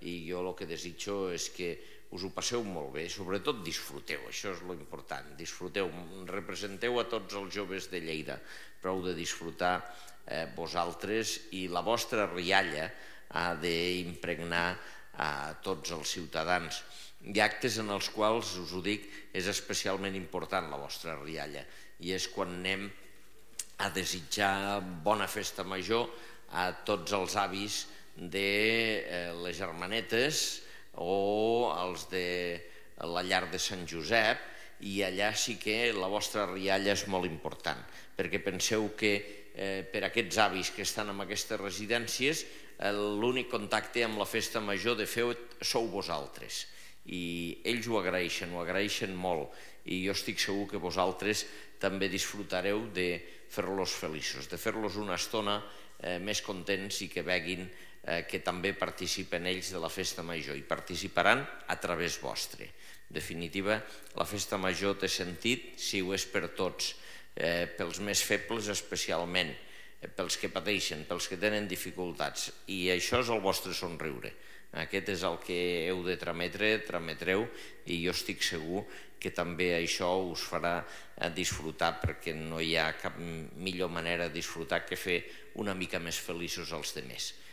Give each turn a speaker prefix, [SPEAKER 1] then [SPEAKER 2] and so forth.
[SPEAKER 1] i jo el que desitjo és que us ho passeu molt bé, sobretot disfruteu, això és l'important, disfruteu, representeu a tots els joves de Lleida, prou de disfrutar vosaltres, i la vostra rialla ha d'impregnar a tots els ciutadans. Hi ha actes en els quals, us ho dic, és especialment important la vostra rialla, i és quan anem a desitjar bona festa major a tots els avis de les Germanetes o els de la llar de Sant Josep, i allà sí que la vostra rialla és molt important, perquè penseu que per aquests avis que estan en aquestes residències l'únic contacte amb la festa major de fet sou vosaltres, i ells ho agraeixen molt, i jo estic segur que vosaltres també disfrutareu de fer-los feliços, de fer-los una estona més contents i que veguin que també participen ells de la festa major, i participaran a través vostre. En definitiva, la festa major té sentit si ho és per tots, pels més febles especialment, pels que pateixen, pels que tenen dificultats, i això és el vostre somriure. Aquest és el que heu de trametreu, i jo estic segur que també això us farà disfrutar, perquè no hi ha cap millor manera de disfrutar que fer una mica més feliços els altres.